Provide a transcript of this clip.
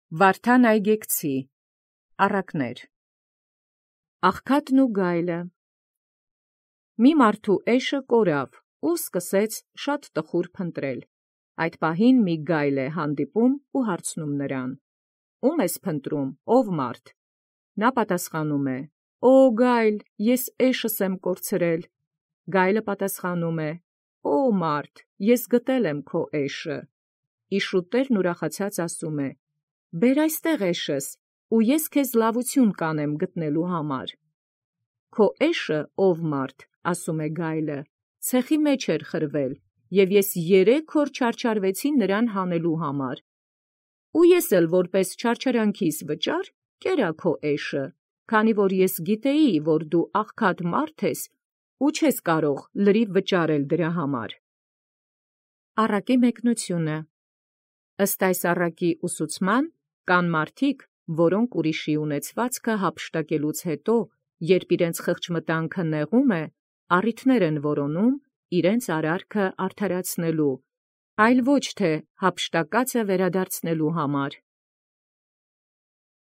Վարդան Այգեկցի առակներ։ Աղքատն ու գայլը։ Մի մարդու էշը կորավ ու սկսեց շատ տխուր փնտրել։ Այդ պահին մի գայլ է հանդիպում ու հարցնում նրան. «Ո՞ւմ ես փնտրում, ով մարդ»։ Նա պատասխանում է. «Օ գայլ, ես էշս եմ կորցրել»։ Գայլը պատասխանում է. «Օ մարդ, ես գտել եմ քո էշը»։ Իշուտերն ուրախացած ասում է. «Բեր այստեղ էշս, ու ես քեզ լավություն կանեմ գտնելու համար»։ «Քո էշը, ով մարդ, ասում է գայլը, ցեխի մեջ էր խրվել, և ես 3 օր չարչարվեցի նրան հանելու համար։ Ու ես էլ որպես չարչարանքիս վճար կերա քո էշը, քանի որ ես գիտեի, որ դու աղքատ մարդ ես ու չես կարող լրիվ վճարել դրա համար»։ Առակի մեկնությունը։ Ըստ այս առակի ուսուցման, կան մարդիկ, որոնք ուրիշի ունեցվածքը հափշտակելուց հետո, երբ իրենց խղճմտանքը նեղում է, առիթներ են որոնում իրենց արարքը արդարացնելու, այլ ոչ թե հափշտակածը վերադարձնելու համար։